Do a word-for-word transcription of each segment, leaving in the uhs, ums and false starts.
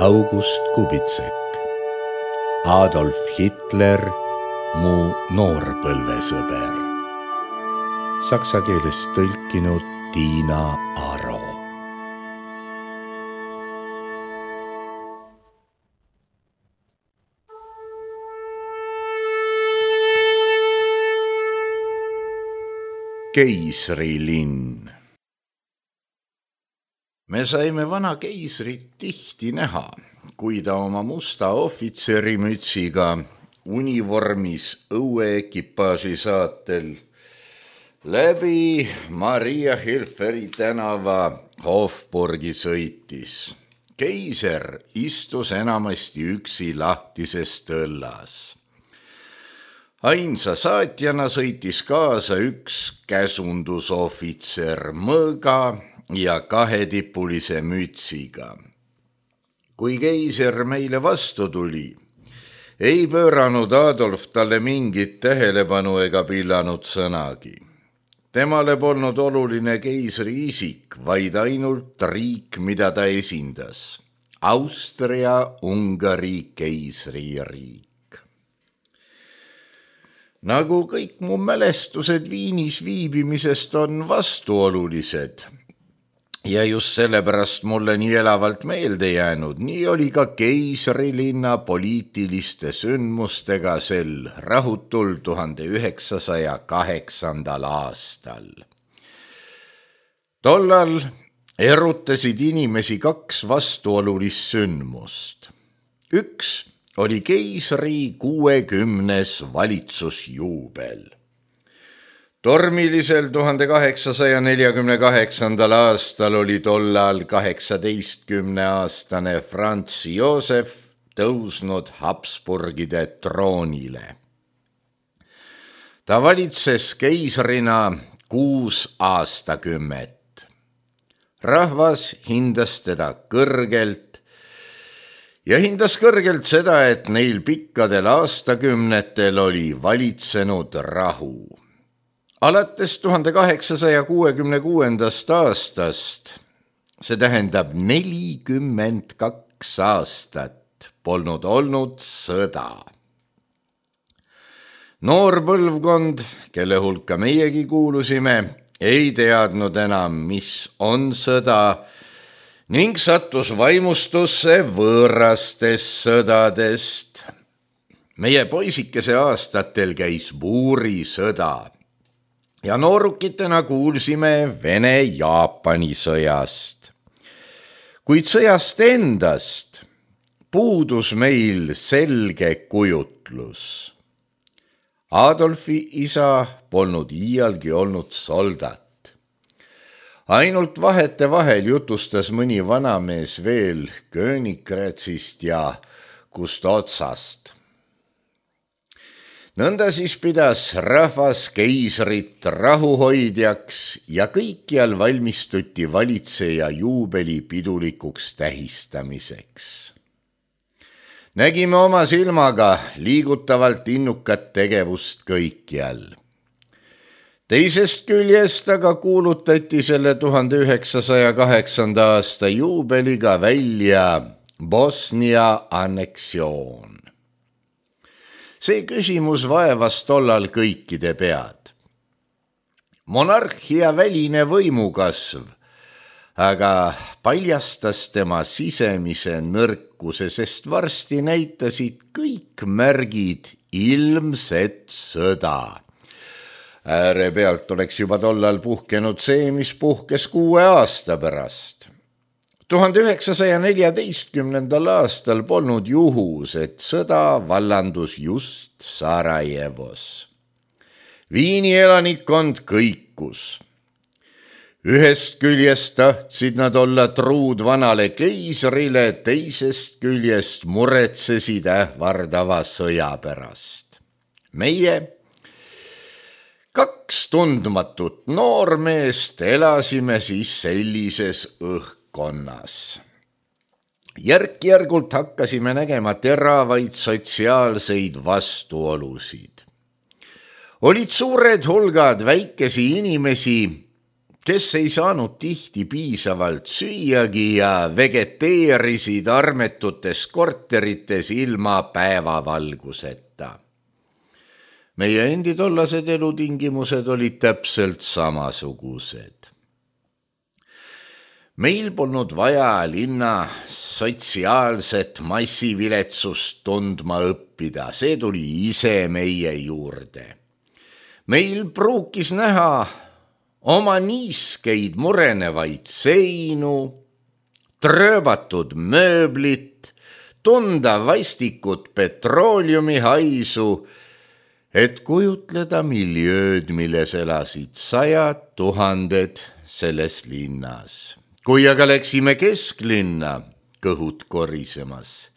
August Kubitsek. Adolf Hitler, mu noorpõlvesõber. Saksa keelest tõlkinud Tiina Aro. Keisrilinn. Me saime vana keisrit tihti näha, kui ta oma musta ohvitserimütsiga univormis õueekipaaži saatel läbi Maria Hilferi tänava Hofburgi sõitis. Keiser istus enamasti üksi lahtises tõllas. Ainsa saatjana sõitis kaasa üks käsundusohvitser mõõga ja kahetipulise mütsiga. Kui keiser meile vastu tuli, ei pööranud Adolf talle mingit tähelepanu ega pillanud sõnagi. Temale polnud oluline keisri isik, vaid ainult riik, mida ta esindas. Austria-Ungari keisririik. Nagu kõik mu mälestused Viinis viibimisest on vastuolulised ja just sellepärast mulle nii elavalt meelde jäänud, nii oli ka keisrilinna poliitiliste sündmustega sel rahutul tuhande üheksasaja kaheksandal aastal. Tollal erutasid inimesi kaks vastuolulist sündmust. Üks oli keisri kuuekümnes valitsusjuubel. Tormilisel tuhande kaheksasaja neljakümne kaheksandal aastal oli tollal kaheksateistkümneaastane Franz Josef tõusnud Habsburgide troonile. Ta valitses keisrina kuus aastakümmet. Rahvas hindas teda kõrgelt ja hindas kõrgelt seda, et neil pikkadel aastakümnetel oli valitsenud rahu. Alates tuhande kaheksasaja kuuekümne kuuendast aastast, see tähendab nelikümmend kaks aastat, polnud olnud sõda. Noor põlvkond, kelle hulka meiegi kuulusime, ei teadnud enam, mis on sõda, ning sattus vaimustusse võõrastest sõdadest. Meie poisikese aastatel käis buurisõda ja noorukitena kuulsime Vene-Jaapani sõjast. Kuid sõjast endast puudus meil selge kujutlus. Adolfi isa polnud iialgi olnud soldat. Ainult vahete vahel jutustas mõni vanamees veel Königgrätzist ja Kustotsast. Nõnda siis pidas rahvas keisrit rahuhoidjaks ja kõikjal valmistuti valitseja juubeli pidulikuks tähistamiseks. Nägime oma silmaga liigutavalt innukat tegevust kõikjal. Teisest küljest aga kuulutati selle tuhande üheksasaja kaheksanda aasta juubeliga välja Bosnia anneksioon. See küsimus vaevas tollal kõikide pead. Monarhia väline võimukasv aga paljastas tema sisemise nõrkuse, sest varsti näitasid kõik märgid ilmset sõda. Ääre pealt oleks juba tollal puhkenud see, mis puhkes kuue aasta pärast. tuhande üheksasaja neljateistkümnendal aastal polnud juhus, et sõda vallandus just Sarajevos. Viini elanikkond kõikus. Ühest küljest tahtsid nad olla truud vanale keisrile, teisest küljest muretsesid ähvardava sõja pärast. Meie kaks tundmatut noormeest elasime siis sellises õhkkonnas. Järk-järgult hakkasime nägema teravaid sotsiaalseid vastuolusid. Olid suured hulgad väikesi inimesi, kes ei saanud tihti piisavalt süüagi ja vegeteerisid armetutes korterites ilma päevavalguseta. Meie endi tollased elutingimused olid täpselt samasugused. Meil polnud vaja linna sotsiaalset massiviletsust tundma õppida, see tuli ise meie juurde. Meil pruukis näha oma niiskeid murenevaid seinu, trööbatud mööblit, tunda vastikut petrooleumi haisu, et kujutleda miljööd, milles elasid sajad tuhanded selles linnas. Kui aga läksime kesklinna, kõhud korisemas,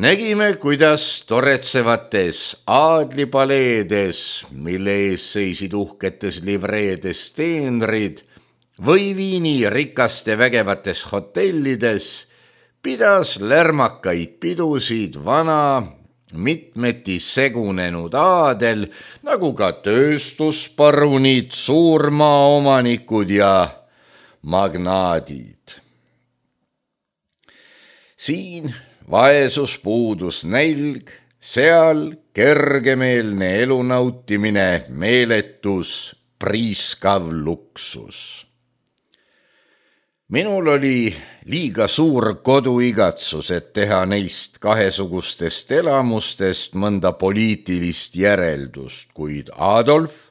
nägime, kuidas toretsevates aadlipaleedes, mille ees seisid uhketes livreedes teenrid, või Viini rikaste vägevates hotellides pidas lärmakaid pidusid vana, mitmeti segunenud aadel, nagu ka tööstusparunid, suurmaaomanikud ja magnaadid. Siin vaesus puudus nälg, seal kergemeelne elu nautimine, meeletus, priiskav luksus. Minul oli liiga suur koduigatsus, et teha neist kahesugustest elamustest mõnda poliitilist järeldust, kuid Adolf,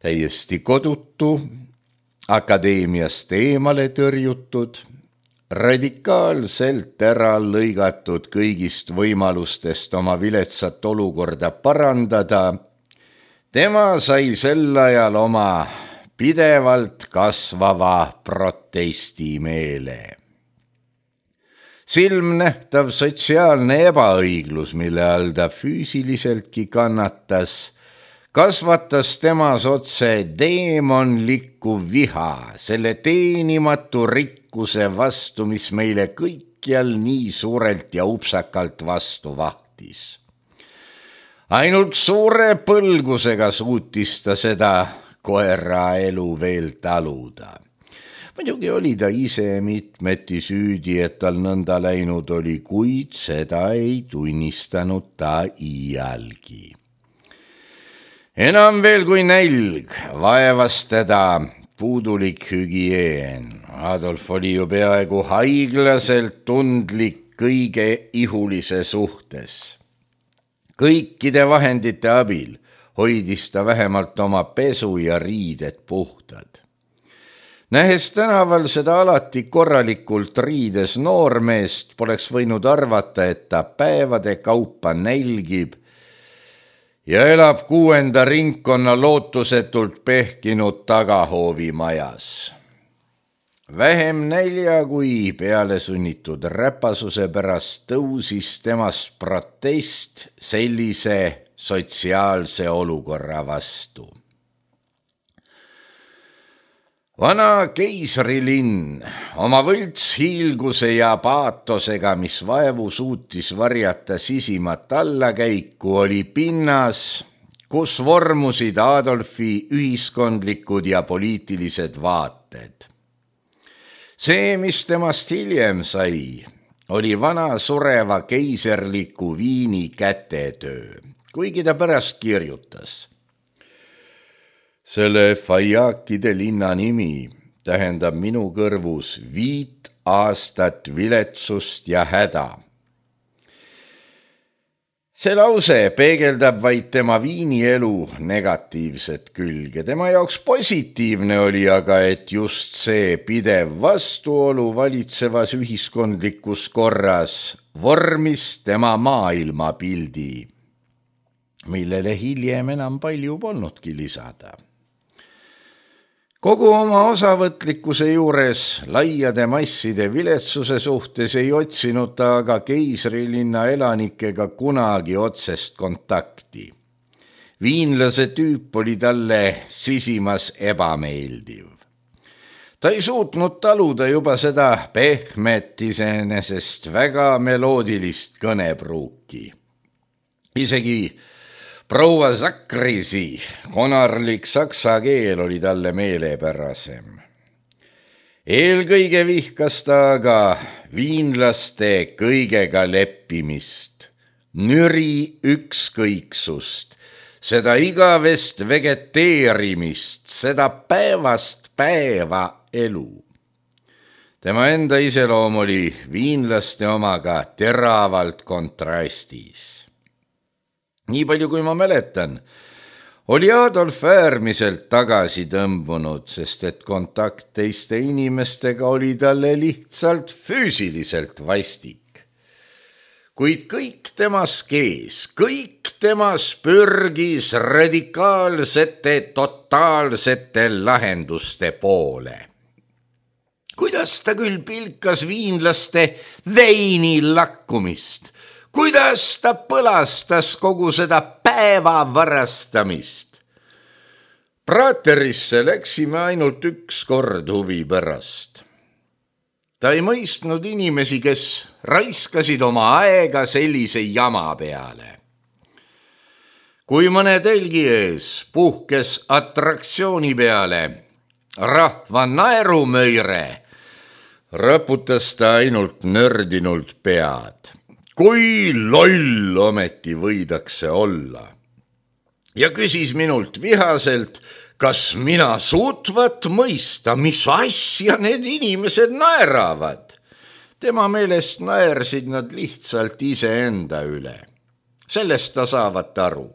täiesti kodutu, akadeemiast eemale tõrjutud, radikaalselt ära lõigatud kõigist võimalustest oma viletsat olukorda parandada, tema sai sel ajal oma pidevalt kasvava protestimeele. Silmnähtav sotsiaalne ebaõiglus, mille all ta füüsiliseltki kannatas, kasvatas temas otse deemonlikku viha selle teenimatu rikkuse vastu, mis meile kõikjal nii suurelt ja upsakalt vastu vahtis. Ainult suure põlgusega suutis ta seda koera elu veel taluda. Muidugi oli ta ise mitmeti süüdi, et tal nõnda läinud oli, kuid seda ei tunnistanud ta iialgi. Enam veel kui nälg vaevas teda puudulik hügieen. Adolf oli ju peaaegu haiglaselt tundlik kõige ihulise suhtes. Kõikide vahendite abil hoidis ta vähemalt oma pesu ja riided puhtad. Nähes tänaval seda alati korralikult riides noormeest, poleks võinud arvata, et ta päevade kaupa nälgib ja elab kuuenda ringkonna lootusetult pehkinud tagahoovi majas. Vähem nälja kui peale sunnitud räpasuse pärast tõusis temast protest sellise sotsiaalse olukorra vastu. Vana keisrilinn oma võlts hiilguse ja paatosega, mis vaevu suutis varjata sisimat allakäiku, oli pinnas, kus vormusid Adolfi ühiskondlikud ja poliitilised vaated. See, mis temast hiljem sai, oli vana sureva keiserliku Viini kätetöö, kuigi ta pärast kirjutas. Selle Fajakide linna nimi tähendab minu kõrvus viit aastat viletsust ja häda. See lause peegeldab vaid tema Viini elu negatiivset külge. Tema jaoks positiivne oli aga, et just see pidev vastuolu valitsevas ühiskondlikus korras vormis tema maailmapildi, millele hiljem enam palju polnudki lisada. Kogu oma osavõtlikkuse juures laiade masside viletsuse suhtes ei otsinud ta aga keisrilinna elanikega kunagi otsest kontakti. Viinlase tüüp oli talle sisimas ebameeldiv. Ta ei suutnud taluda juba seda pehmet iseenesest väga meloodilist kõnepruuki. Isegi proua Sakrisi konarlik saksa keel oli talle meelepärasem. Eelkõige vihkas ta aga viinlaste kõigega leppimist, nüri ükskõiksust, seda igavest vegeteerimist, seda päevast päeva elu. Tema enda iseloom oli viinlaste omaga teravalt kontrastis. Nii palju kui ma mäletan, oli Adolf äärmiselt tagasi tõmbunud, sest et kontakt teiste inimestega oli talle lihtsalt füüsiliselt vastik. Kuid kõik temas kees, kõik temas pürgis radikaalsete, totaalsete lahenduste poole. Kuidas ta küll pilkas viinlaste veini lakkumist, kuidas ta põlastas kogu seda päeva varastamist. Praterisse läksime ainult üks kord huvi pärast. Ta ei mõistnud inimesi, kes raiskasid oma aega sellise jama peale. Kui mõne telgi ees puhkes atraktsiooni peale rahva naerumöire, raputas ta ainult nördinult pead. Kui loll ometi võidakse olla. Ja küsis minult vihaselt, kas mina suutvat mõista, mis asja need inimesed naeravad. Tema meelest naersid nad lihtsalt iseenda üle. Sellest ta saavat aru.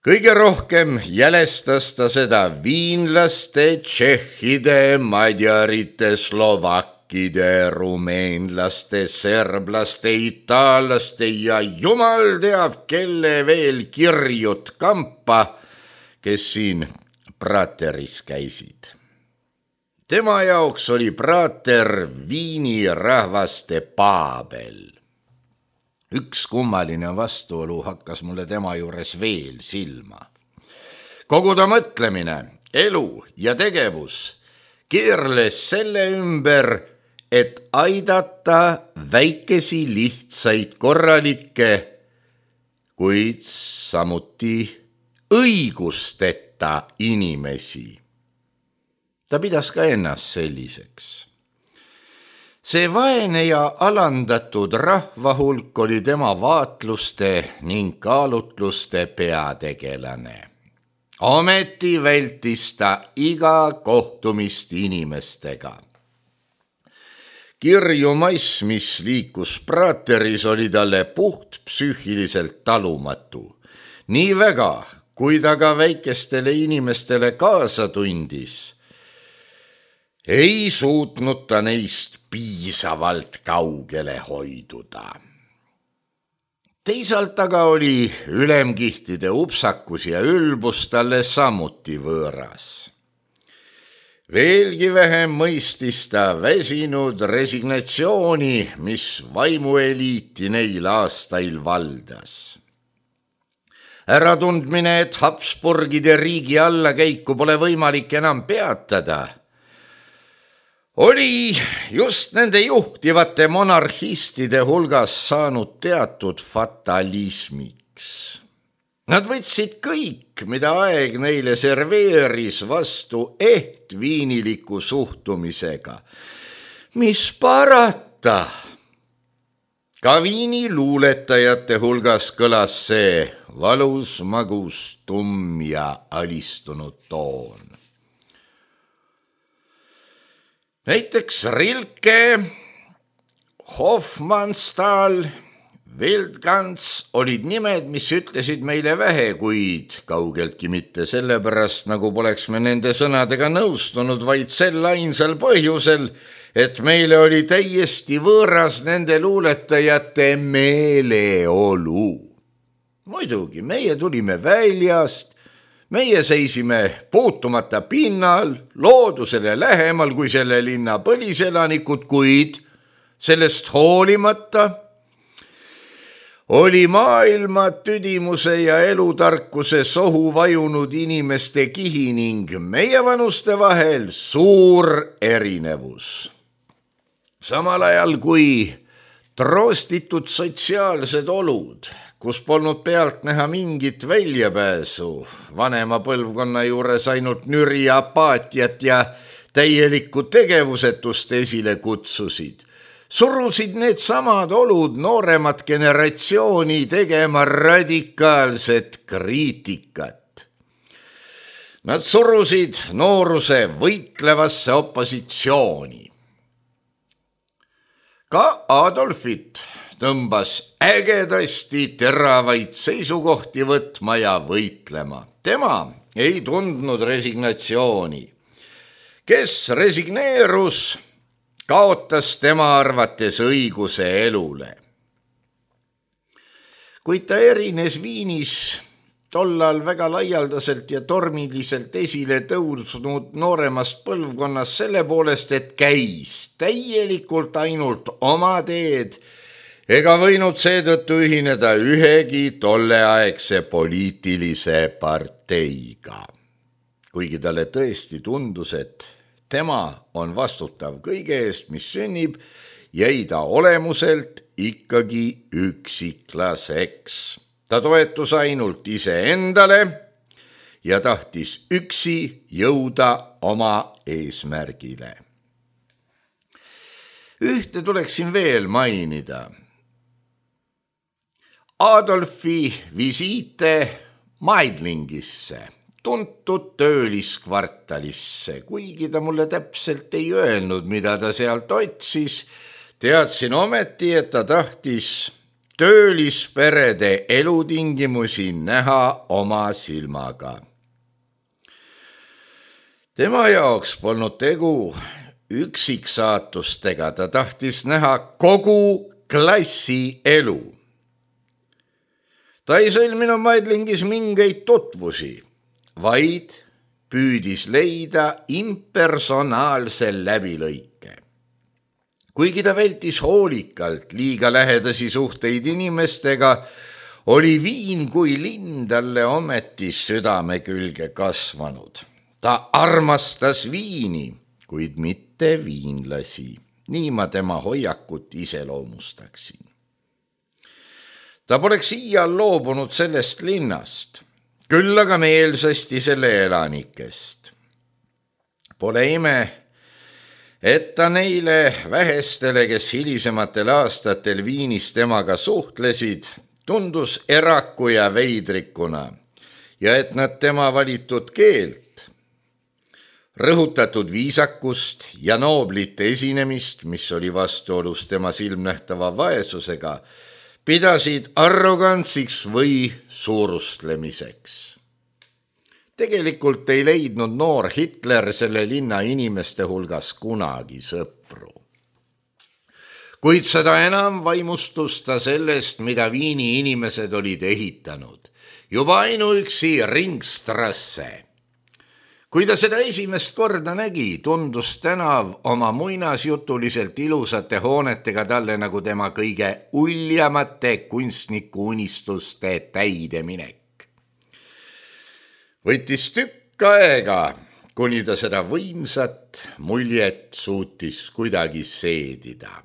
Kõige rohkem jälestas ta seda viinlaste, tšehhide, madjarite, slovakkide, rumeenlaste, serblaste, itaallaste ja jumal teab kelle veel kirjut kampa, kes siin Prateris käisid. Tema jaoks oli Prater Viini rahvaste Paabel. Üks kummaline vastuolu hakkas mulle tema juures veel silma. Kogu ta mõtlemine, elu ja tegevus keerles selle ümber, et aidata väikesi lihtsaid korralikke, kuid samuti õigusteta inimesi. Ta pidas ka ennast selliseks. See vaene ja alandatud rahva hulk oli tema vaatluste ning kaalutluste peategelane. Ometi vältis ta iga kohtumist inimestega. Kirju mass, mis liikus Prateris, oli talle puht psüühiliselt talumatu. Nii väga, kui ta ka väikestele inimestele kaasa tundis, ei suutnud ta neist piisavalt kaugele hoiduda. Teisalt aga oli ülemkihtide upsakus ja ülbus talle samuti võõras. Veelgi vähem mõistis ta väsinud resignatsiooni, mis vaimueliiti neil aastail valdas. Äratundmine, et Habsburgide riigi allakäiku pole võimalik enam peatada, oli just nende juhtivate monarhistide hulgas saanud teatud fatalismiks. Nad võtsid kõik, mida aeg neile serveeris, vastu ehtviiniliku suhtumisega. Mis parata? Ka viini luuletajate hulgas kõlas see valus, magus, tumm ja alistunud toon. Näiteks Rilke, Hofmannsthal, Wildgans olid nimed, mis ütlesid meile vähe, kuid kaugeltki mitte sellepärast, nagu poleks me nende sõnadega nõustunud, vaid sel ainsal põhjusel, et meile oli täiesti võõras nende luuletajate meeleolu. Muidugi, meie tulime väljast, meie seisime puutumata pinnal, loodusele lähemal kui selle linna põliselanikud, kuid sellest hoolimata oli maailma tüdimuse ja elutarkuse sohu vajunud inimeste kihi ning meie vanuste vahel suur erinevus. Samal ajal kui troostitud sotsiaalsed olud, kus polnud pealt näha mingit väljapääsu, vanema põlvkonna juures ainult nüri apaatiat ja täielikku tegevusetust esile kutsusid, surusid need samad olud nooremat generatsiooni tegema radikaalset kriitikat. Nad surusid nooruse võitlevasse opositsiooni. Ka Adolfit tõmbas ägedasti teravaid seisukohti võtma ja võitlema. Tema ei tundnud resignatsiooni. Kes resigneerus, kaotas tema arvates õiguse elule. Kuid ta erines Viinis tollal väga laialdaselt ja tormiliselt esile tõusnud nooremast põlvkonnast selle poolest, et käis täielikult ainult oma teed ega võinud seetõttu ühineda ühegi tolleaegse poliitilise parteiga. Kuigi talle tõesti tundus, et tema on vastutav kõige eest, mis sünnib, jäi ta olemuselt ikkagi üksiklaseks. Ta toetus ainult iseendale ja tahtis üksi jõuda oma eesmärgile. Ühte tuleksin veel mainida. Adolfi visiite Meidlingisse, tuntud tööliskvartalisse, kuigi ta mulle täpselt ei öelnud, mida ta sealt otsis, teadsin ometi, et ta tahtis töölisperede elutingimusi näha oma silmaga. Tema jaoks polnud tegu üksiksaatustega, ta tahtis näha kogu klassi elu. Ta ei sõlminud Meidlingis mingeid tutvusi, vaid püüdis leida impersonaalse läbilõike. Kuigi ta vältis hoolikalt liiga lähedasi suhteid inimestega, oli Viin kui linn talle ometi südame külge kasvanud. Ta armastas Viini, kuid mitte viinlasi. Nii ma tema hoiakut iseloomustaksin. Ta poleks iial loobunud sellest linnast, küll aga meelsasti selle elanikest. Pole ime, et ta neile vähestele, kes hilisematel aastatel Viinis temaga suhtlesid, tundus eraku ja veidrikuna ja et nad tema valitud keelt, rõhutatud viisakust ja nooblite esinemist, mis oli vastuolus tema silmnähtava vaesusega, pidasid arrogantsiks või suurustlemiseks. Tegelikult ei leidnud noor Hitler selle linna inimeste hulgas kunagi sõpru. Kuid seda enam vaimustus ta sellest, mida Viini inimesed olid ehitanud. Juba ainuüksi Ringstrasse. Kui ta seda esimest korda nägi, tundus tänav oma muinasjutuliselt ilusate hoonetega talle nagu tema kõige uljamate kunstniku unistuste täideminek. Võttis tükk aega, kuni ta seda võimsat muljet suutis kuidagi seedida.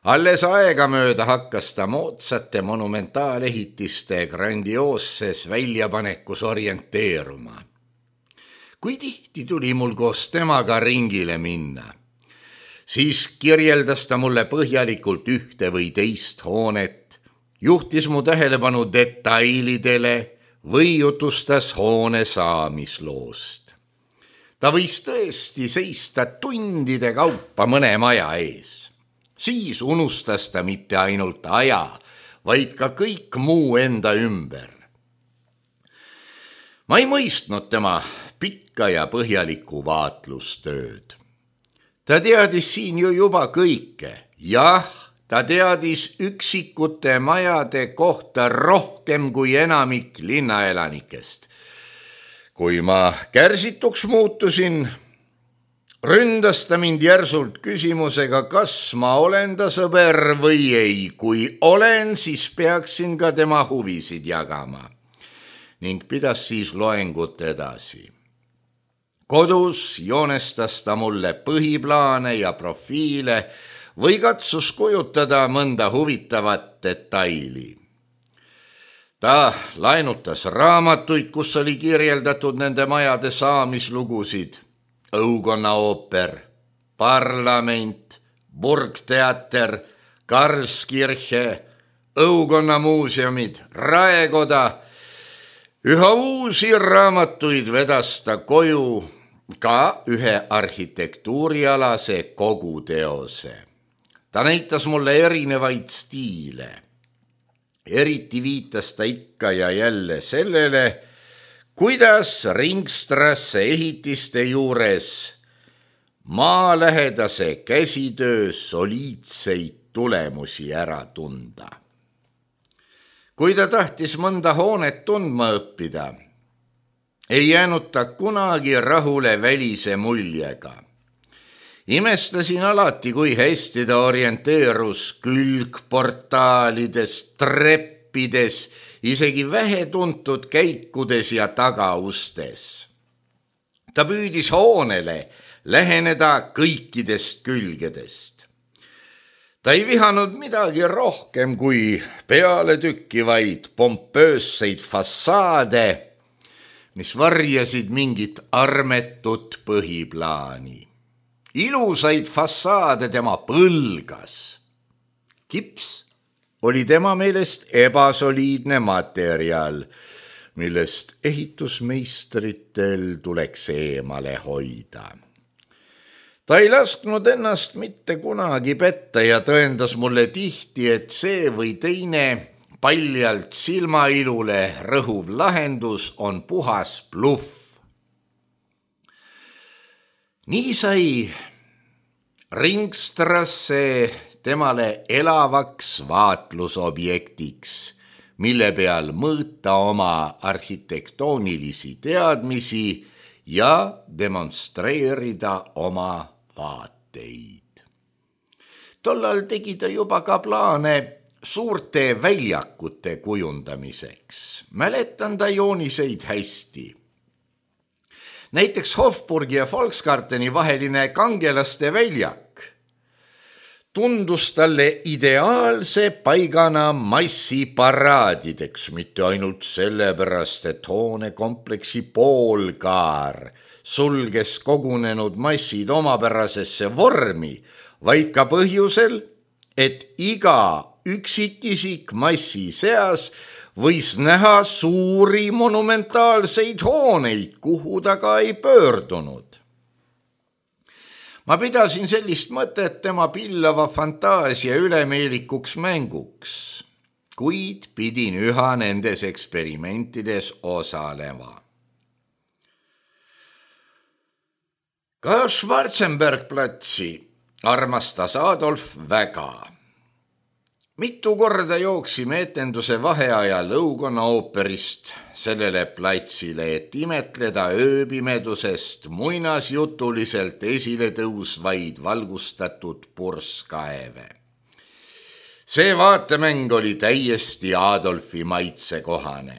Alles aegamööda hakkas ta moodsate monumentaalehitiste grandioosses väljapanekus orienteeruma. Kui tihti tuli mul koos temaga ringile minna, siis kirjeldas ta mulle põhjalikult ühte või teist hoonet, juhtis mu tähelepanu detailidele või jutustas hoone saamisloost. Ta võis tõesti seista tundide kaupa mõne maja ees. Siis unustas ta mitte ainult aja, vaid ka kõik muu enda ümber. Ma ei mõistnud tema pikka ja põhjalikku vaatlustööd. Ta teadis siin ju juba kõike. Jah, ta teadis üksikute majade kohta rohkem kui enamik linnaelanikest. Kui ma kärsituks muutusin, ründas ta mind järsult küsimusega, kas ma olen ta sõber või ei. Kui olen, siis peaksin ka tema huvisid jagama. Ning pidas siis loengut edasi. Kodus joonestas ta mulle põhiplaane ja profiile või katsus kujutada mõnda huvitavat detaili. Ta laenutas raamatuid, kus oli kirjeldatud nende majade saamislugusid. Õukonna ooper, parlament, burgteater, Karlskirche, Õukonna muuseumid, raekoda. Üha uusi raamatuid vedas ta koju, ka ühe arhitektuurialase koguteose. Ta näitas mulle erinevaid stiile. Eriti viitas ta ikka ja jälle sellele, kuidas Ringstrasse ehitiste juures maalähedase käsitöö soliidseid tulemusi ära tunda. Kui ta tahtis mõnda hoonet tundma õppida, ei jäänud ta kunagi rahule välise muljega. Imestasin alati, kui hästi ta orienteerus külgportaalides, treppides, isegi vähetuntud käikudes ja tagaustes. Ta püüdis hoonele läheneda kõikidest külgedest. Ta ei vihanud midagi rohkem kui pealetükkivaid pompöösseid fassaade, mis varjasid mingit armetut põhiplaani. Ilusaid fassaade tema põlgas. Kips oli tema meelest ebasoliidne materjal, millest ehitusmeistritel tuleks eemale hoida. Ta ei lasknud ennast mitte kunagi petta ja tõendas mulle tihti, et see või teine paljalt silmailule rõhuv lahendus on puhas bluff. Nii sai Ringstrasse temale elavaks vaatlusobjektiks, mille peal mõõta oma arhitektoonilisi teadmisi ja demonstreerida oma vaateid. Tollal tegi ta juba ka plaane suurte väljakute kujundamiseks. Mäletan ta jooniseid hästi. Näiteks Hofburgi ja Volksgarteni vaheline kangelaste väljak tundus talle ideaalse paigana massiparaadideks, mitte ainult sellepärast, et hoonekompleksi poolkaar sulges kogunenud massid omapärasesse vormi, vaid ka põhjusel, et iga üksikisik massi seas võis näha suuri monumentaalseid hooneid, kuhu ta ka ei pöördunud. Ma pidasin sellist mõtet tema pillava fantaasia ülemeelikuks mänguks, kuid pidin üha nendes eksperimentides osalema. Ka Schwarzenbergplatsi armastas Adolf väga. Mitu korda jooksime etenduse vaheajal Õukonna ooperist sellele platsile, et imetleda ööpimedusest muinasjutuliselt esile tõusvaid valgustatud purskaeve. See vaatemäng oli täiesti Adolfi maitsekohane.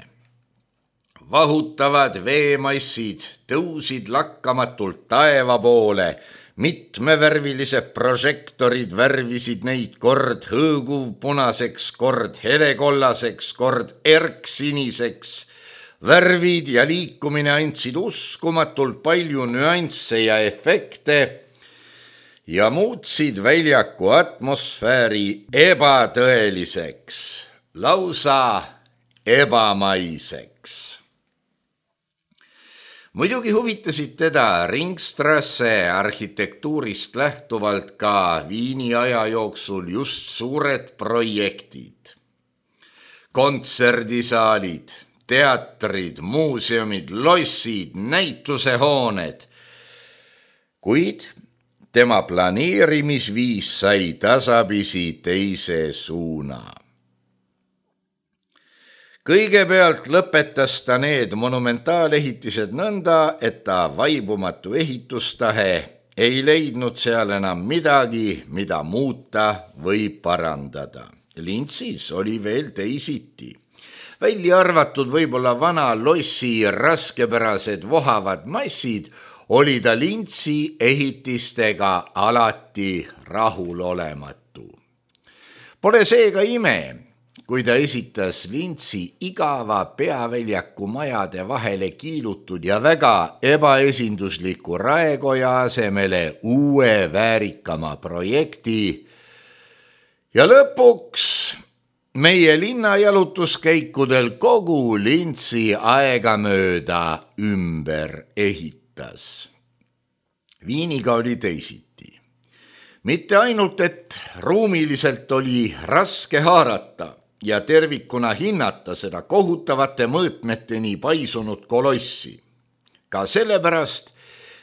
Vahutavad veemassid tõusid lakkamatult taeva poole, mitmevärvilised prožektorid värvisid neid kord hõõguvpunaseks, kord helekollaseks, kord erksiniseks. Värvid ja liikumine andsid uskumatult palju nüansse ja efekte ja muutsid väljaku atmosfääri ebatõeliseks, lausa ebamaiseks. Muidugi huvitasid teda Ringstrasse arhitektuurist lähtuvalt ka Viini aja jooksul just suured projektid. Kontserdisaalid, teatrid, muuseumid, lossid, näitusehooned. Kuid tema planeerimisviis sai tasapisi teise suuna. Kõigepealt lõpetas ta need monumentaalehitised nõnda, et ta vaibumatu ehitustahe ei leidnud seal enam midagi, mida muuta või parandada. Lintsis oli veel teisiti. Välja arvatud võib-olla vana lossi raskepärased vohavad massid, oli ta Lintsi ehitistega alati rahulolematu. Pole seega ime, kui ta esitas Lintsi igava peaväljaku majade vahele kiilutud ja väga ebaesindusliku Raekoja asemele uue väärikama projekti. Ja lõpuks meie linnajalutuskäikudel kogu Lintsi aegamööda ümber ehitas. Viiniga oli teisiti. Mitte ainult, et ruumiliselt oli raske haarata ja tervikuna hinnata seda kohutavate mõõtmeteni paisunud kolossi. Ka sellepärast,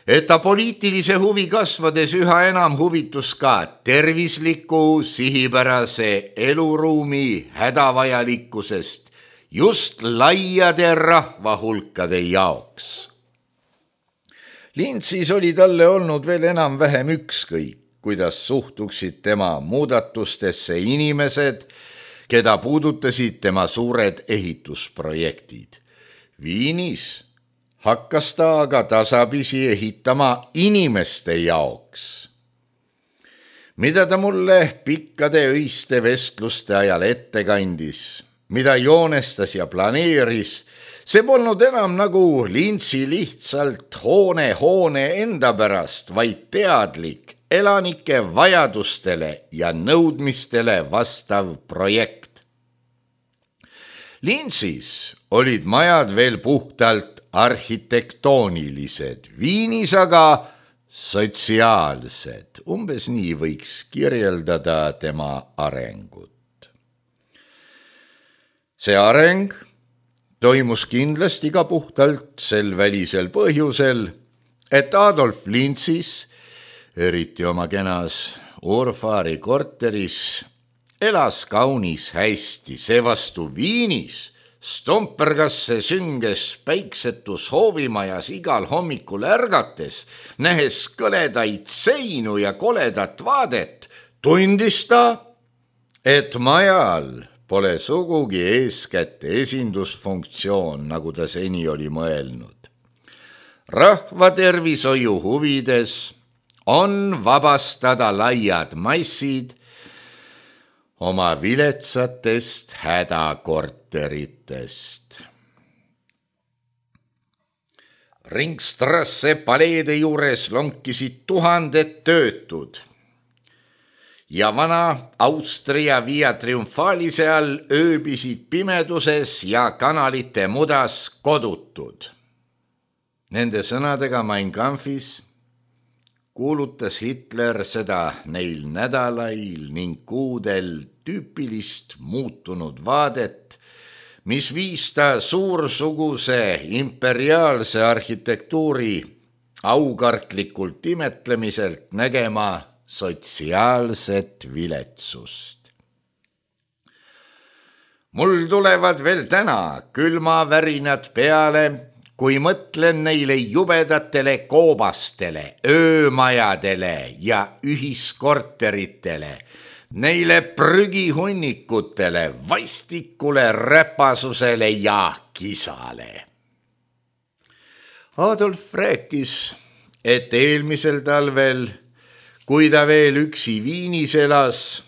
et ta poliitilise huvi kasvades üha enam huvitus ka tervisliku, sihipärase eluruumi hädavajalikkusest just laiade rahvahulkade jaoks. Lintsis oli talle olnud veel enam vähem ükskõik, kuidas suhtuksid tema muudatustesse inimesed, keda puudutasid tema suured ehitusprojektid. Viinis hakkas ta aga tasapisi ehitama inimeste jaoks. Mida ta mulle pikkade öiste vestluste ajal ette kandis, mida joonestas ja planeeris, see polnud enam nagu Lintsi lihtsalt hoone hoone enda pärast, vaid teadlik, elanike vajadustele ja nõudmistele vastav projekt. Lintsis olid majad veel puhtalt arhitektoonilised, Viinis aga sotsiaalsed, umbes nii võiks kirjeldada tema arengut. See areng toimus kindlasti ka puhtalt sel välisel põhjusel, et Adolf Lintsis, eriti oma kenas Urfaari korteris, elas kaunis hästi, seevastu Viinis stompergasse sünges päiksetus hoovimajas igal hommikul ärgates, nähes kõledaid seinu ja koledat vaadet, tundis ta, et majal pole sugugi eeskätt esindusfunktsioon, nagu ta seni oli mõelnud. Rahva tervishoiu huvides on vabastada laiad massid oma viletsatest hädakorteritest. Ringstrasse paleede juures lonkisid tuhanded töötud ja vana Austria Via Triumfalise all ööbisid pimeduses ja kanalite mudas kodutud. Nende sõnadega Mein Kampfis kuulutas Hitler seda neil nädalail ning kuudel tüüpilist muutunud vaadet, mis viis ta suursuguse imperiaalse arhitektuuri aukartlikult imetlemiselt nägema sotsiaalset viletsust. Mul tulevad veel täna külmavärinad peale, kui mõtlen neile jubedatele koobastele, öömajadele ja ühiskorteritele, neile prügihunnikutele, vastikule räpasusele ja kisale. Adolf rääkis, et eelmisel talvel, kui ta veel üksi Viinis elas,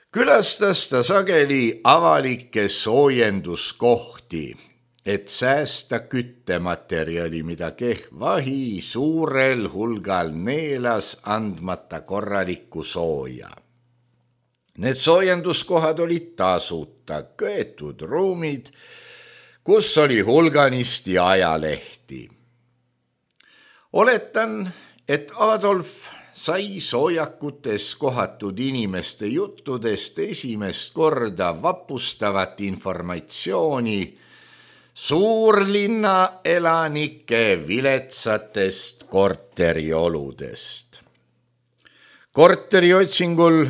külastas ta sageli avalikke soojenduskohti, et säästa küttematerjali, mida kehvahi suurel hulgal neelas andmata korralikku sooja. Need soojenduskohad olid tasuta, köetud ruumid, kus oli hulganisti ajalehti. Oletan, et Adolf sai soojakutes kohatud inimeste juttudest esimest korda vapustavat informatsiooni suurlinna elanike viletsatest korterioludest. Korteriotsingul,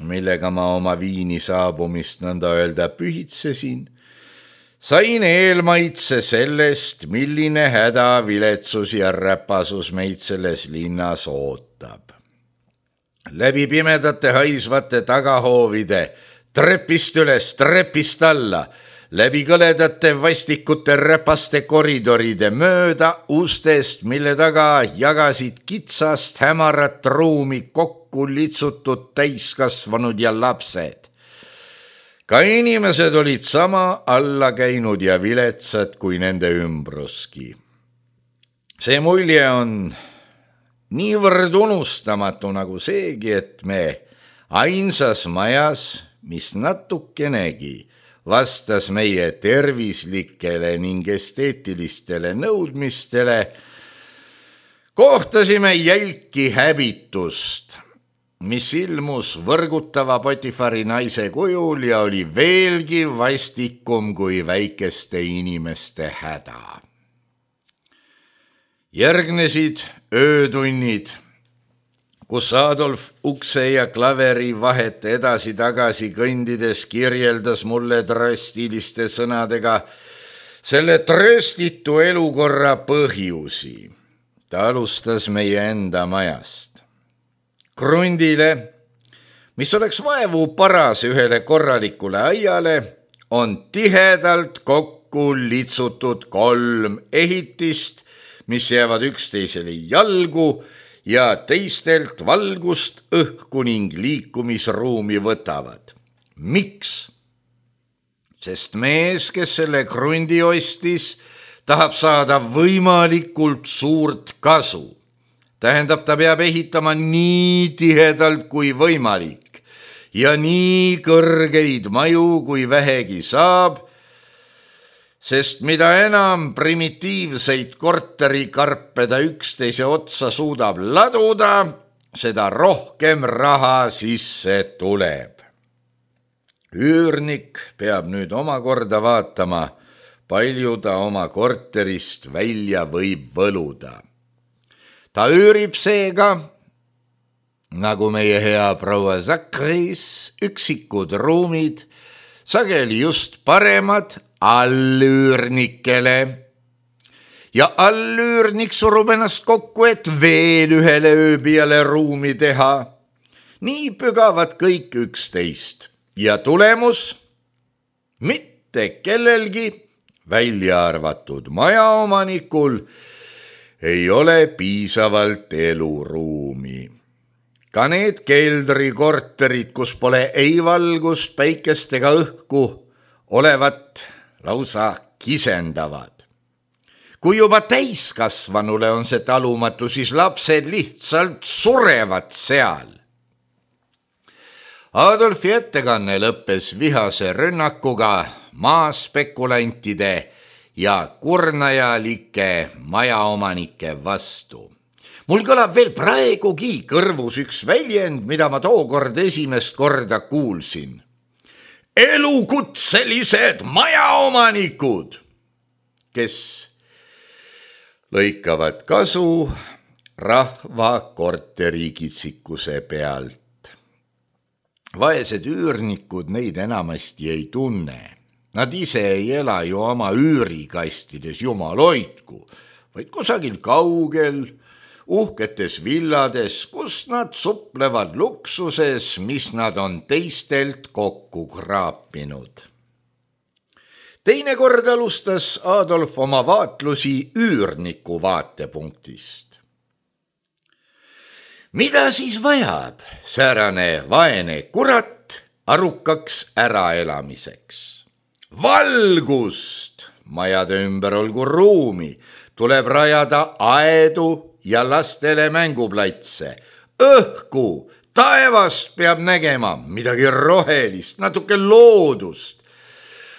millega ma oma Viini saabumist nõnda öelda pühitsesin, sain eelmaitse sellest, milline häda, viletsus ja räpasus meid selles linnas ootab. Läbi pimedate haisvate tagahoovide, trepist üles, trepist alla, läbi kõledate vastikute räpaste koridoride mööda ustest, mille taga jagasid kitsast hämarat ruumi kokku litsutud täiskasvanud ja lapsed. ka inimesed olid sama alla käinud ja viletsad kui nende ümbruski. See mulje on niivõrd unustamatu nagu seegi, et me ainsas majas, mis natukenegi vastas meie tervislikele ning esteetilistele nõudmistele, kohtasime jälki häbitust, mis ilmus võrgutava Potifari naise kujul ja oli veelgi vastikum kui väikeste inimeste häda. Järgnesid öötunnid, kus Adolf ukse ja klaveri vahet edasi-tagasi kõndides kirjeldas mulle drastiliste sõnadega selle trööstitu elukorra põhjusi. Ta alustas meie enda majast. Krundile, mis oleks vaevu paras ühele korralikule aiale, on tihedalt kokku litsutud kolm ehitist, mis jäävad üksteisele jalgu ja teistelt valgust, õhku ning liikumisruumi võtavad. Miks? Sest mees, kes selle krundi ostis, tahab saada võimalikult suurt kasu. Tähendab, ta peab ehitama nii tihedalt kui võimalik ja nii kõrgeid maju kui vähegi saab, sest mida enam primitiivseid korterikarpe ta üksteise otsa suudab laduda, seda rohkem raha sisse tuleb. Üürnik peab nüüd omakorda vaatama, palju ta oma korterist välja võib võluda. Ta üürib seega, nagu meie hea proua Zakris, üksikud ruumid, sageli just paremad allüürnikele. Ja allüürnik surub ennast kokku, et veel ühele ööbijale ruumi teha. Nii pügavad kõik üksteist ja tulemus mitte kellelgi, välja arvatud majaomanikul, ei ole piisavalt eluruumi. Ka need keldrikorterid, kus pole ei valgust, päikest ega õhku, olevat lausa kisendavad. Kui juba täiskasvanule on see talumatu, siis lapsed lihtsalt surevad seal. Adolfi ettekanne lõppes vihase rünnakuga maaspekulantide ja kurnajalike majaomanike vastu. Mul kõlab veel praegugi kõrvus üks väljend, mida ma tookord esimest korda kuulsin. Elukutselised majaomanikud, kes lõikavad kasu rahva korterikitsikuse pealt. Vaesed üürnikud neid enamasti ei tunne. Nad ise ei ela ju oma üürikastides, jumal hoidku, vaid kusagil kaugel, uhketes villades, kus nad suplevad luksuses, mis nad on teistelt kokku kraapinud. Teinekord alustas Adolf oma vaatlusi üürniku vaatepunktist. Mida siis vajab säärane vaene kurat arukaks äraelamiseks? Valgust, majade ümber olgu ruumi, tuleb rajada aedu ja lastele mänguplatse. Õhku, taevast peab nägema midagi rohelist, natuke loodust.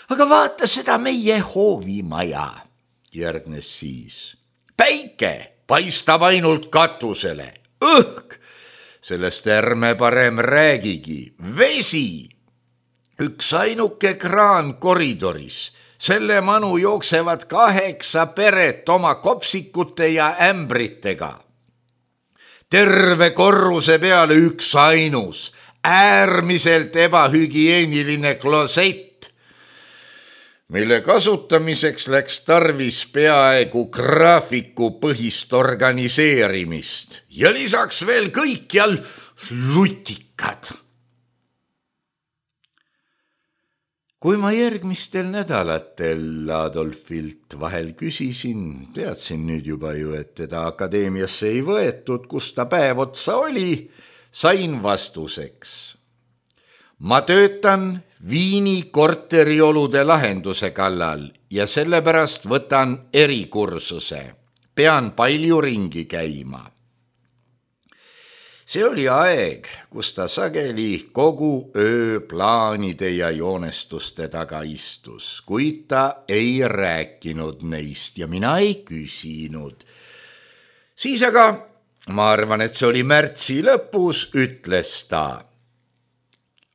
Aga vaata seda meie hoovimaja, järgnes siis. Päike paistab ainult katusele. Õhk, sellest ärme parem räägigi. Vesi. Üks ainuke kraan koridoris, selle manu jooksevad kaheksa peret oma kopsikute ja ämbritega. Terve korruse peale üks ainus, äärmiselt ebahügieeniline klosett, mille kasutamiseks läks tarvis peaaegu graafiku põhist organiseerimist ja lisaks veel kõikjal lutikad. Kui ma järgmistel nädalatel Adolfilt vahel küsisin, teadsin nüüd juba ju, et teda akadeemiasse ei võetud, kus ta päev otsa oli, sain vastuseks. Ma töötan Viini korteriolude lahenduse kallal ja sellepärast võtan erikursuse. Pean palju ringi käima. See oli aeg, kus ta sageli kogu öö plaanide ja joonestuste taga istus, kuid ta ei rääkinud neist ja mina ei küsinud. Siis aga, ma arvan, et see oli märtsi lõpus, ütles ta.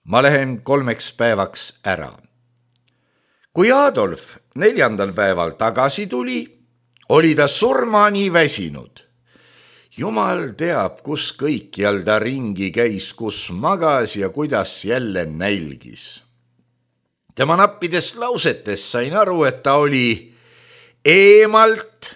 Ma lähen kolmeks päevaks ära. Kui Adolf neljandal päeval tagasi tuli, oli ta surmani väsinud. Jumal teab, kus kõikjal ta ringi käis, kus magas ja kuidas jälle nälgis. Tema nappidest lausetest sain aru, et ta oli eemalt,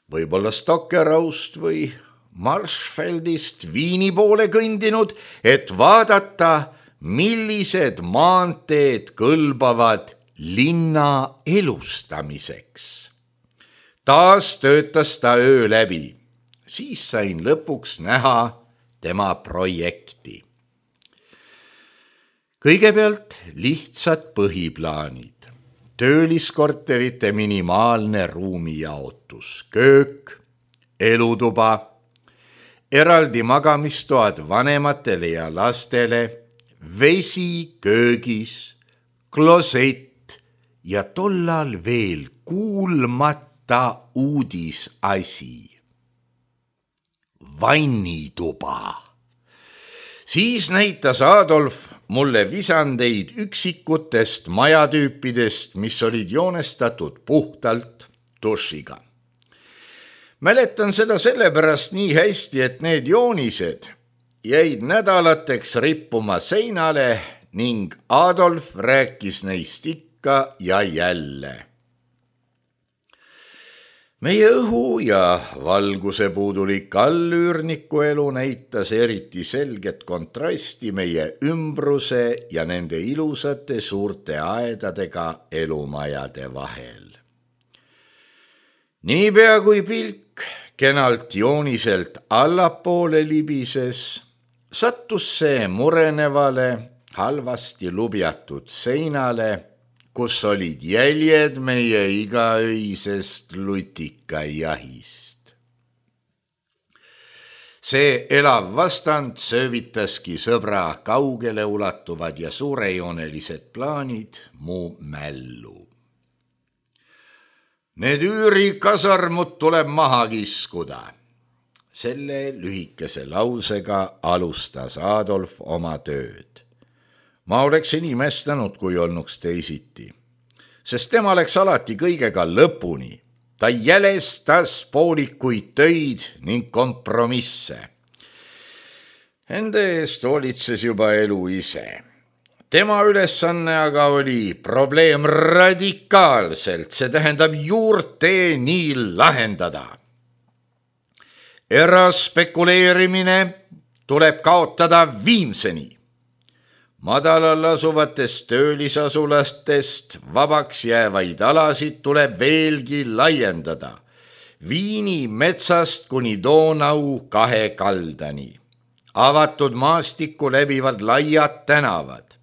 võib-olla Stockeraust või Marshfeldist Viini poole kõndinud, et vaadata, millised maanteed kõlbavad linna elustamiseks. Taas töötas ta öö läbi, siis sain lõpuks näha tema projekti. Kõigepealt lihtsad põhiplaanid, tööliskorterite minimaalne ruumijaotus, köök, elutuba, eraldi magamistoad vanematele ja lastele, vesi köögis, klosett ja tollal veel kuulmata ta uudisasi. Vannituba. Siis näitas Adolf mulle visandeid üksikutest majatüüpidest, mis olid joonestatud puhtalt dušiga. Mäletan seda sellepärast nii hästi, et need joonised jäid nädalateks rippuma seinale ning Adolf rääkis neist ikka ja jälle. Meie õhu ja valguse puudulik allüürniku elu näitas eriti selget kontrasti meie ümbruse ja nende ilusate suurte aedadega elumajade vahel. Niipea kui pilk kenalt jooniselt allapoole libises, sattus see murenevale, halvasti lubjatud seinale, kus olid jäljed meie igaöisest lutikajahist. See elav vastand söövitaski sõbra kaugele ulatuvad ja suurejoonelised plaanid mu mällu. Need üürikasarmud tuleb maha kiskuda. Selle lühikese lausega alustas Adolf oma tööd. Ma oleksin imestanud, kui olnuks teisiti, sest tema läks alati kõigega lõpuni. Ta jälestas poolikuid töid ning kompromisse. Ende eest hoolitses juba elu ise. Tema ülesanne aga oli probleem radikaalselt, see tähendab juurteeni lahendada. Eraspekuleerimine tuleb kaotada viimseni. Madalal asuvatest töölisasulastest vabaks jäävaid alasid tuleb veelgi laiendada. Viini metsast kuni Donau kahe kaldani. Avatud maastikku läbivad laiad tänavad.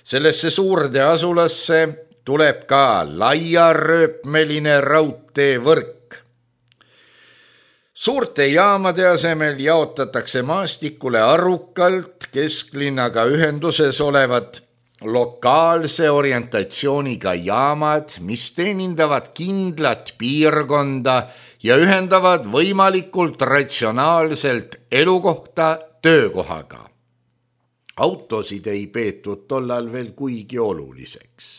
Sellesse suurde asulasse tuleb ka laiarööpmeline raudteevõrk. Suurte jaamade asemel jaotatakse maastikule arukalt kesklinnaga ühenduses olevad lokaalse orientatsiooniga jaamad, mis teenindavad kindlat piirkonda ja ühendavad võimalikult ratsionaalselt elukohta töökohaga. Autosid ei peetud tollal veel kuigi oluliseks.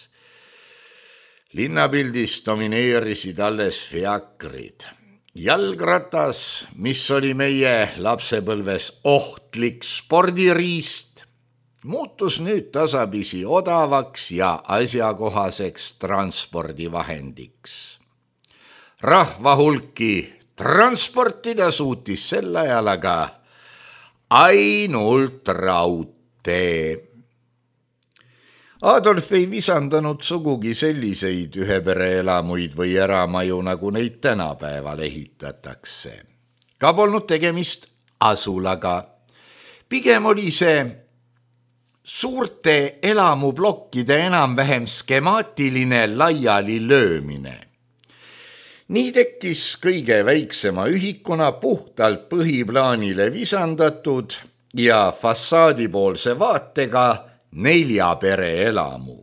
Linnapildis domineerisid alles fiakrid. Jalgratas, mis oli meie lapsepõlves ohtlik spordiriist, muutus nüüd tasapisi odavaks ja asjakohaseks transpordivahendiks. Rahvahulki transportida suutis sel ajal aga ainult raudtee. Adolf ei visandanud sugugi selliseid ühepereelamuid või eramaju, nagu neid tänapäeval ehitatakse. Ka polnud tegemist asulaga. Pigem oli see suurte elamuplokkide enam-vähem skemaatiline laiali löömine. Nii tekkis kõige väiksema ühikuna puhtalt põhiplaanile visandatud ja fassaadipoolse vaatega nelja pere elamu.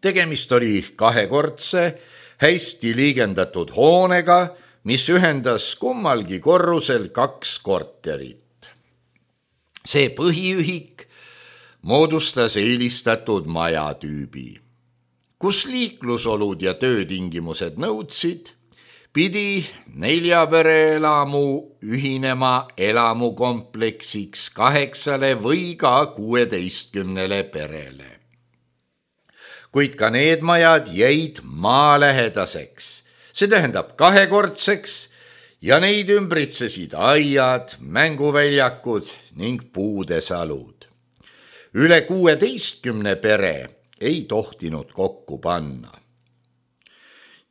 Tegemist oli kahekordse, hästi liigendatud hoonega, mis ühendas kummalgi korrusel kaks korterit. See põhiühik moodustas eelistatud majatüübi, kus liiklusolud ja töötingimused nõudsid, pidi nelja pere elamu ühinema elamukompleksiks kaheksale või ka kuueteistkümnele perele. Kuid ka need majad jäid maalähedaseks, see tähendab kahekordseks ja neid ümbritsesid aiad, mänguväljakud ning puudesalud. Üle kuueteistkümne pere ei tohtinud kokku panna.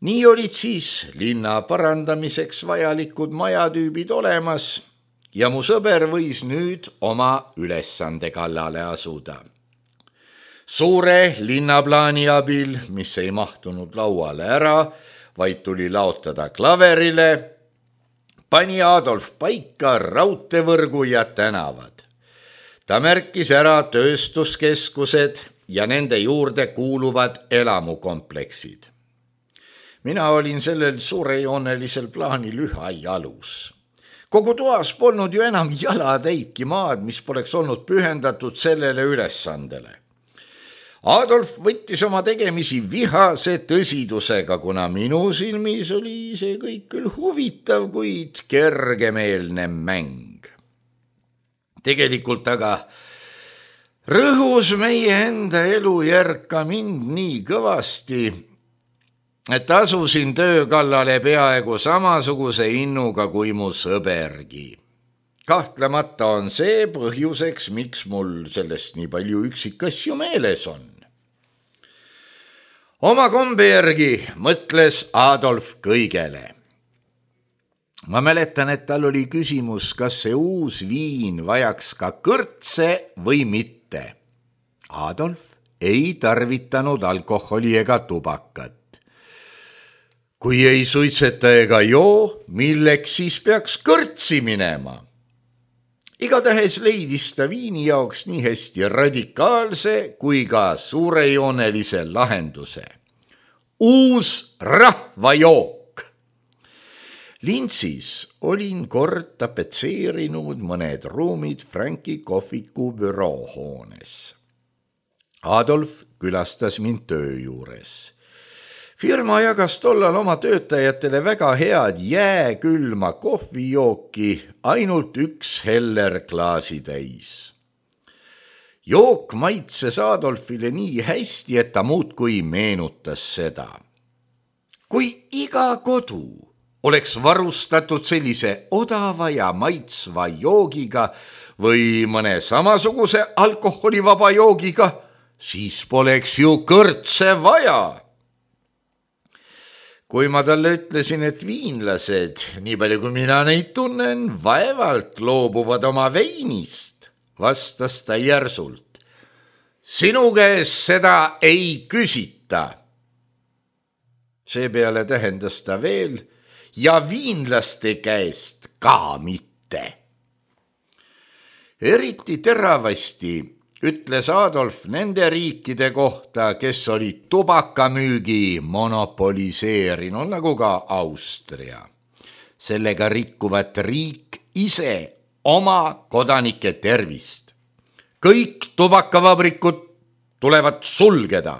Nii olid siis linna parandamiseks vajalikud majatüübid olemas ja mu sõber võis nüüd oma ülesande kallale asuda. Suure linnaplaani abil, mis ei mahtunud lauale ära, vaid tuli laotada klaverile, pani Adolf paika raudteevõrgu ja tänavad. Ta märkis ära tööstuskeskused ja nende juurde kuuluvad elamukompleksid. Mina olin sellel suurejoonelisel plaanil üha jalus. Kogu toas polnud ju enam jalatäitki maad, mis poleks olnud pühendatud sellele ülesandele. Adolf võttis oma tegemisi vihase tõsidusega, kuna minu silmis oli see kõik küll huvitav, kuid kergemeelne mäng. Tegelikult aga rõhus meie enda elujärg ka mind nii kõvasti, et asusin töö kallale peaaegu samasuguse innuga kui mu sõbergi. Kahtlemata on see põhjuseks, miks mul sellest nii palju üksikasju meeles on. Oma kombe järgi mõtles Adolf kõigele. Ma mäletan, et tal oli küsimus, kas see uus viin vajaks ka kõrtse või mitte. Adolf ei tarvitanud alkoholi ega tubakat. Kui ei suitseta ega joo, milleks siis peaks kõrtsi minema? Igatahes leidis ta viini jaoks nii hästi radikaalse kui ka suurejoonelise lahenduse. Uus rahvajook. Lintsis olin kord tapetseerinud mõned ruumid Franki kohviku büroohoones. Adolf külastas mind töö juures. Firma jagas tollal oma töötajatele väga head jääkülma kohvijooki, ainult üks heller klaasi täis. Jook maitses Adolfile nii hästi, et ta muudkui meenutas seda. Kui iga kodu oleks varustatud sellise odava ja maitsva joogiga või mõne samasuguse alkoholivaba joogiga, siis poleks ju kõrtse vaja. Kui ma talle ütlesin, et viinlased, nii palju kui mina neid tunnen, vaevalt loobuvad oma veinist, vastas ta järsult. Sinu käest seda ei küsita. Seepeale tähendas ta veel ja viinlaste käest ka mitte. Eriti teravasti ütles Adolf nende riikide kohta, kes olid tubakamüügi monopoliseerinud, nagu ka Austria. Sellega rikkuvat riik ise oma kodanike tervist. Kõik tubakavabrikud tulevad sulgeda,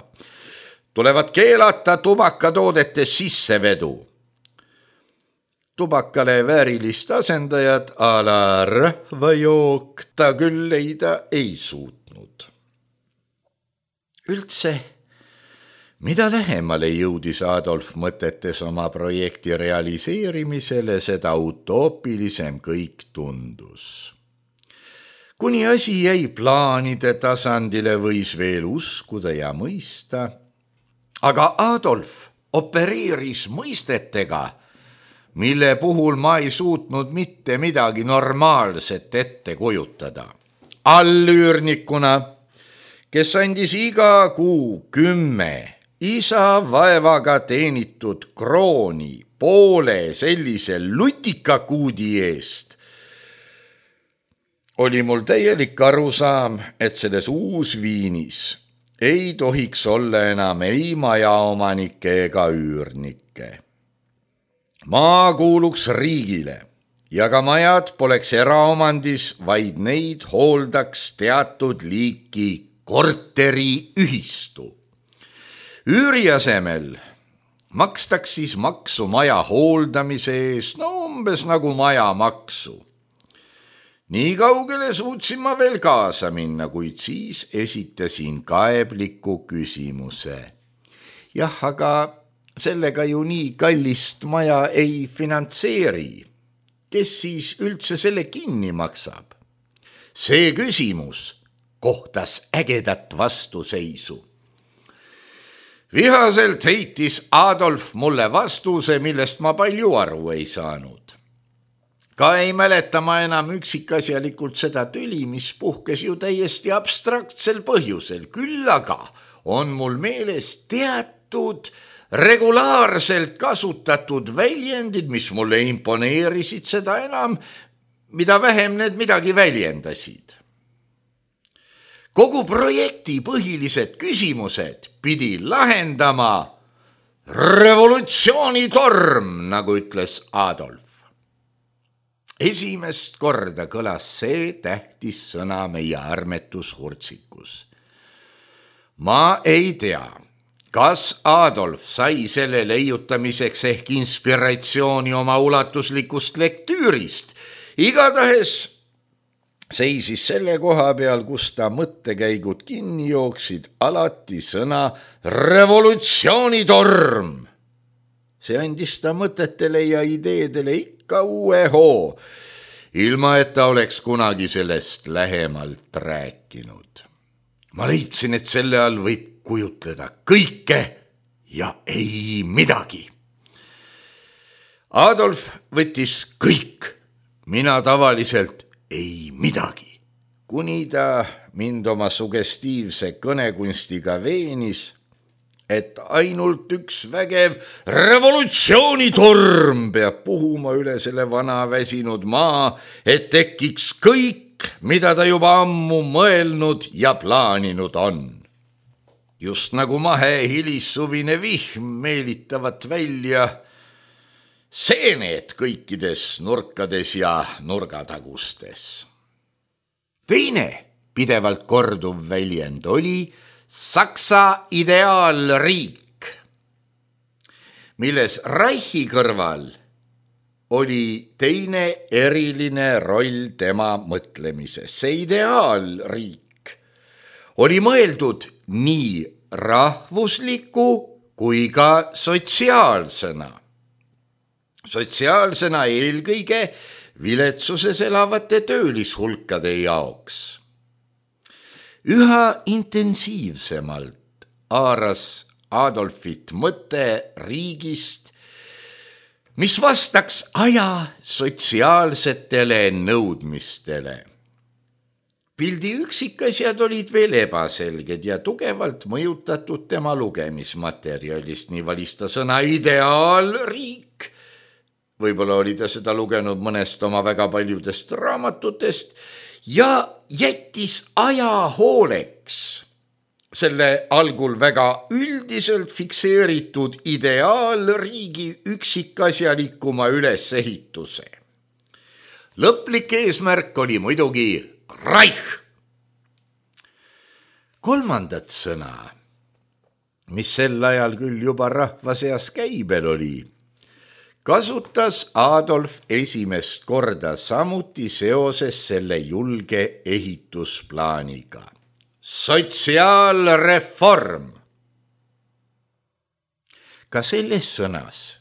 tulevad keelata tubakatoodete sissevedu. Tubakale väärilist asendajat a la rahvajook ta küll leida ei suutnud. Üldse, mida lähemale jõudis Adolf mõtetes oma projekti realiseerimisele, seda utoopilisem kõik tundus. Kuni asi jäi plaanide tasandile, võis veel uskuda ja mõista, aga Adolf opereeris mõistetega, mille puhul ma ei suutnud mitte midagi normaalset ette kujutada. Allüürnikuna kes andis iga kuu kümme isa vaevaga teenitud krooni poole sellise lutikakuudi eest, oli mul täielik arusaam, et selles uusviinis ei tohiks olla enam ei majaomanikke ega üürnikke. Maa kuuluks riigile ja ka majad poleks eraomandis, vaid neid hooldaks teatud liiki korteriühistu. Üüri asemel makstaks siis maksu maja hooldamise eest, no umbes nagu majamaksu. Nii kaugele suutsin ma veel kaasa minna, kuid siis esitasin kaebliku küsimuse. Jah, aga sellega ju nii kallist maja ei finantseeri. Kes siis üldse selle kinni maksab? See küsimus kohtas ägedat vastuseisu. Vihaselt heitis Adolf mulle vastuse, millest ma palju aru ei saanud. Ka ei mäleta ma enam üksikasjalikult seda tüli, mis puhkes ju täiesti abstraktsel põhjusel. Küll aga on mul meeles teatud regulaarselt kasutatud väljendid, mis mulle imponeerisid seda enam, mida vähem need midagi väljendasid. Kogu projekti põhilised küsimused pidi lahendama revolutsioonitorm, nagu ütles Adolf. Esimest korda kõlas see tähtis sõna meie armetushurtsikus. Ma ei tea, kas Adolf sai selle leiutamiseks ehk inspiratsiooni oma ulatuslikust lektüürist. Igatahes seisis selle koha peal, kus ta mõttekäigud kinni jooksid, alati sõna revolutsioonitorm. See andis ta mõtetele ja ideedele ikka uue hoo, ilma et ta oleks kunagi sellest lähemalt rääkinud. Ma leidsin, et selle all võib kujutleda kõike ja ei midagi. Adolf võttis kõik, mina tavaliselt ei midagi, kuni ta mind oma sugestiivse kõnekunstiga veenis, et ainult üks vägev revolutsioonitorm peab puhuma üle selle vana väsinud maa, et tekiks kõik, mida ta juba ammu mõelnud ja plaaninud on. Just nagu mahe hilissuvine vihm meelitavat välja seened kõikides nurkades ja nurgatagustes. Teine pidevalt korduv väljend oli Saksa ideaalriik, milles Reichi kõrval oli teine eriline roll tema mõtlemises. See ideaalriik oli mõeldud nii rahvusliku kui ka sotsiaalsena. Sotsiaalsena eelkõige viletsuses elavate töölishulkade jaoks. Üha intensiivsemalt haaras Adolfit mõte riigist, mis vastaks aja sotsiaalsetele nõudmistele. Pildi üksikasjad olid veel ebaselged ja tugevalt mõjutatud tema lugemismaterjalist, nii valis ta sõna ideaalriik. Võib-olla oli ta seda lugenud mõnest oma väga paljudest raamatutest ja jättis aja hooleks selle algul väga üldiselt fikseeritud ideaalriigi üksikasjalikuma ülesehituse. Lõplik eesmärk oli muidugi Reich. Kolmandat sõna, mis sel ajal küll juba rahva seas käibel oli, kasutas Adolf esimest korda samuti seoses selle julge ehitusplaaniga. Sotsiaalreform. Ka selles sõnas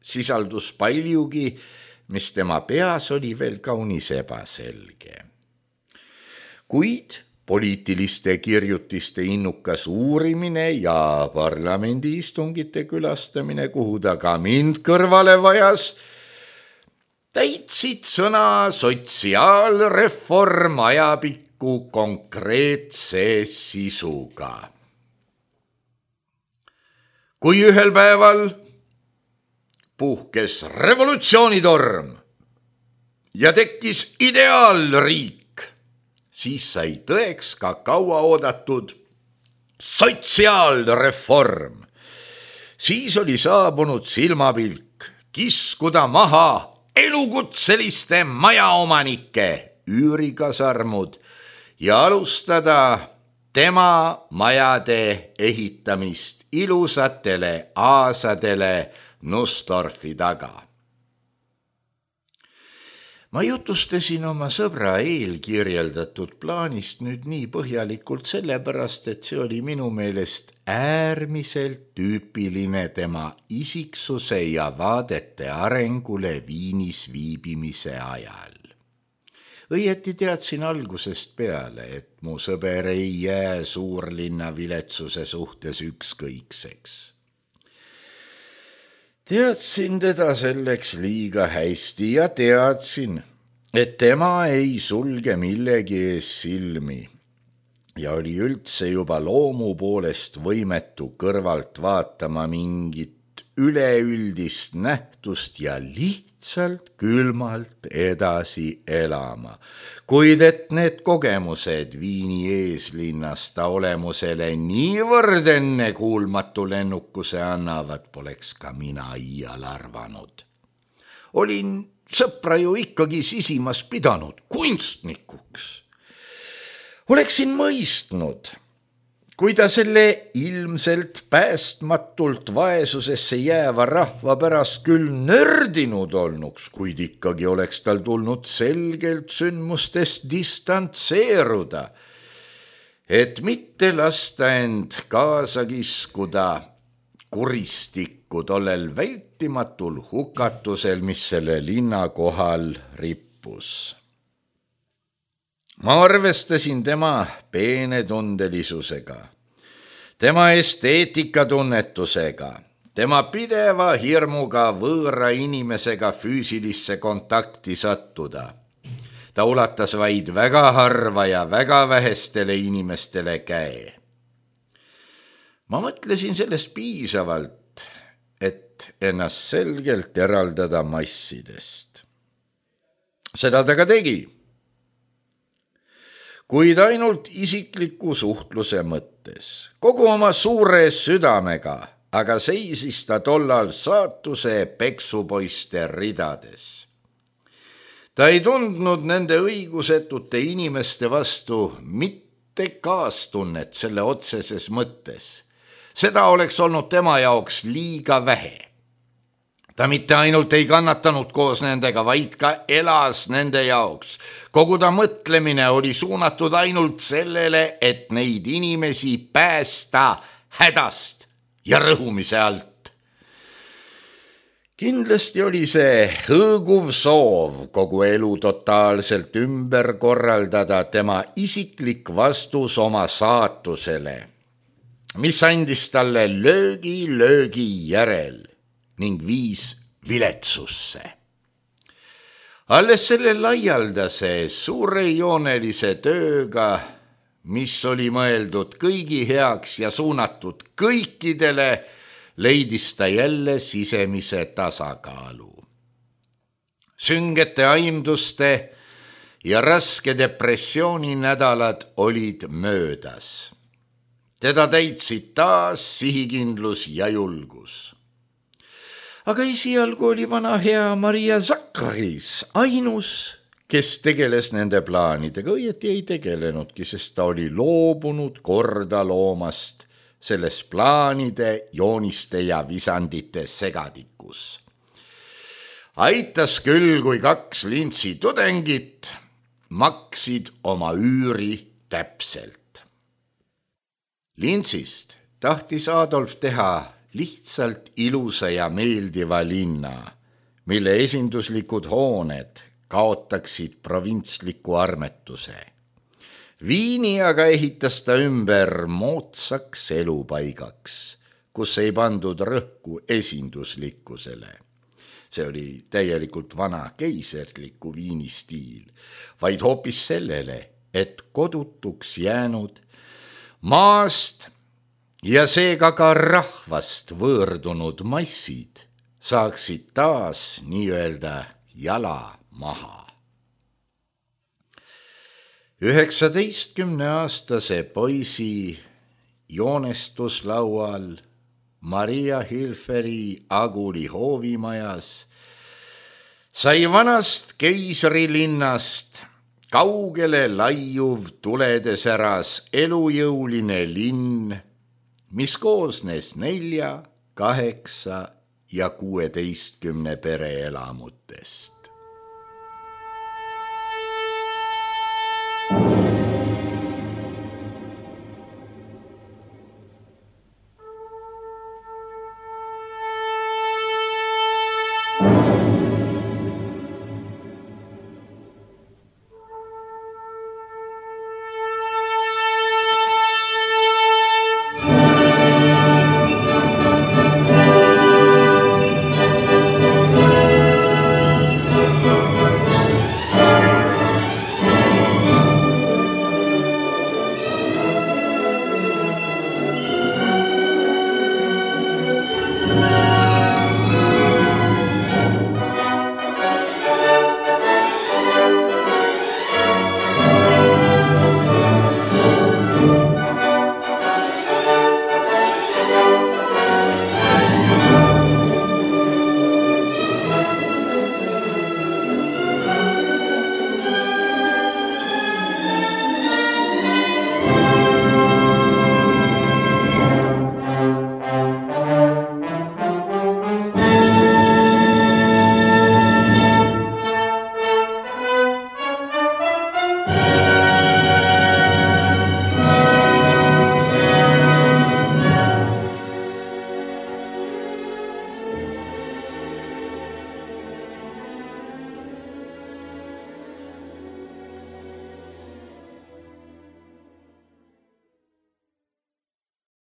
sisaldus paljugi, mis tema peas oli veel kaunis ebaselge. Kuid poliitiliste kirjutiste innukas uurimine ja parlamendi istungite külastamine, kuhu ta ka mind kõrvale vajas, täitsid sõna sotsiaalreform ajapikku vajaliku konkreetse sisuga. Kui ühel päeval puhkes revolutsioonitorm ja tekkis ideaalriik, siis sai tõeks ka kaua oodatud sotsiaalreform. Siis oli saabunud silmapilk kiskuda maha elukutseliste majaomanike üürikasarmud ja alustada tema majade ehitamist ilusatele aasadele Nussdorfi taga. Ma jutustasin oma sõbra eelkirjeldatud plaanist nüüd nii põhjalikult sellepärast, et see oli minu meelest äärmiselt tüüpiline tema isiksuse ja vaadete arengule Viinis viibimise ajal. Õieti teadsin algusest peale, et mu sõber ei jää suurlinna viletsuse suhtes ükskõikseks. Teadsin teda selleks liiga hästi ja teadsin, et tema ei sulge millegi ees silmi ja oli üldse juba loomu poolest võimetu kõrvalt vaatama mingit üleüldist nähtust ja lihtsalt külmalt edasi elama. Kuid et need kogemused Viini eeslinnas ta olemusele niivõrd enne kuulmatu lennukuse annavad, poleks ka mina iial arvanud. Olin sõpra ju ikkagi sisimas pidanud kunstnikuks. Oleksin mõistnud, kui ta selle ilmselt päästmatult vaesusesse jääva rahva pärast küll nördinud olnuks, kuid ikkagi oleks tal tulnud selgelt sündmustest distantseeruda, et mitte lasta end kaasa kiskuda kuristikku tollel vältimatul hukatusel, mis selle linna kohal rippus. Ma arvestasin tema peenetundelisusega, tema esteetikatunnetusega, tema pideva hirmuga võõra inimesega füüsilisse kontakti sattuda. Ta ulatas vaid väga harva ja väga vähestele inimestele käe. Ma mõtlesin sellest piisavalt, et ennast selgelt eraldada massidest. Seda ta ka tegi. Kuid ainult isikliku suhtluse mõttes. Kogu oma suure südamega, aga seisis ta tollal saatuse peksupoiste ridades. Ta ei tundnud nende õigusetute inimeste vastu mitte kaastunnet selle otseses mõttes. Seda oleks olnud tema jaoks liiga vähe. Ta mitte ainult ei kannatanud koos nendega, vaid ka elas nende jaoks. Kogu ta mõtlemine oli suunatud ainult sellele, et neid inimesi päästa hädast ja rõhumise alt. Kindlasti oli see hõõguv soov kogu elu totaalselt ümber korraldada tema isiklik vastus oma saatusele, mis andis talle löögi löögi järel ning viis viletsusse. Alles selle laialdase suurejoonelise tööga, mis oli mõeldud kõigi heaks ja suunatud kõikidele, leidis ta jälle sisemise tasakaalu. Süngete aimduste ja raske depressiooni nädalad olid möödas. Teda täitsid taas sihikindlus ja julgus. Aga esialgu oli vana hea Maria Zakris ainus, kes tegeles nende plaanidega. Õieti ei tegelenudki, sest ta oli loobunud korda loomast selles plaanide, jooniste ja visandite segadikus. Aitas küll, kui kaks lintsi tudengit maksid oma üüri täpselt. Lintsist tahtis Adolf teha lihtsalt ilusa ja meeldiva linna, mille esinduslikud hooned kaotaksid provintsliku armetuse. Viini aga ehitas ta ümber moodsaks elupaigaks, kus ei pandud rõhku esinduslikkusele. See oli täielikult vana keiserliku Viini stiil, vaid hoopis sellele, et kodutuks jäänud maast ja seega ka rahvast võõrdunud massid saaksid taas nii-öelda jala maha. üheksateistkümneaastase poisi joonestuslaual Maria Hilferi Aguli hoovimajas sai vanast keisrilinnast kaugele laiuv tuledesäras elujõuline linn, mis koosnes nelja, kaheksa ja kuueteistkümne pereelamutest.